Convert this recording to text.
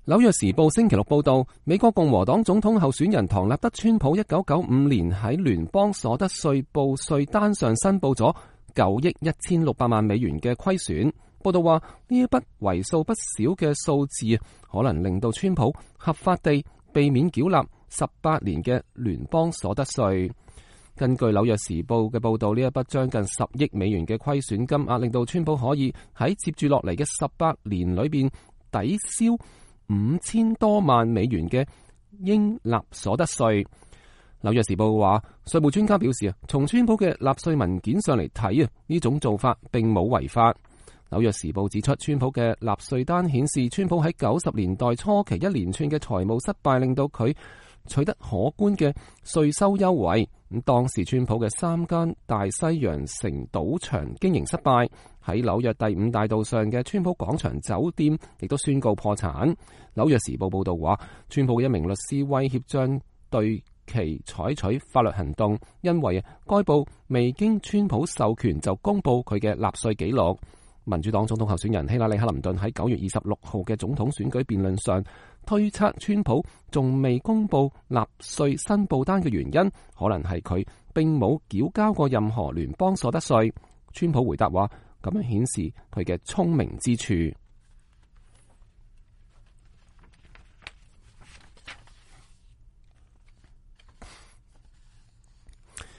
紐約時報星期六報道，美國共和黨總統候選人唐納德·川普1995年喺聯邦所得稅報稅單上申報咗9億1600萬美元嘅虧損。報道話，呢一筆為數不少嘅數字可能令到川普合法地避免繳納18年嘅聯邦所得稅。根據紐約時報嘅報道，呢一筆將近10億美元嘅虧損金額令到川普可以喺接住落嚟嘅18年裏邊抵消5000多萬美元嘅應納所得稅。紐約時報話，稅務專家表示從川普嘅納稅文件上嚟睇呢種做法並冇違法。紐約時報指出，川普嘅納稅單顯示，川普喺90年代初期一連串嘅財務失敗，令到佢取得可觀嘅稅收優惠。咁當時川普嘅3間大西洋城賭場經營失敗，喺紐約第5大道上嘅川普廣場酒店亦都宣告破產。紐約時報報道話，川普嘅一名律師威脅將對其採取法律行動，因為該報未經川普授權就公布佢嘅納稅記錄。民主黨總統候選人希拉里·克林頓喺9月26號嘅總統選舉辯論上推測，川普仲未公布納稅申報單嘅原因，可能係佢並冇繳交過任何聯邦所得稅。川普回答話，咁樣顯示佢嘅聰明之處。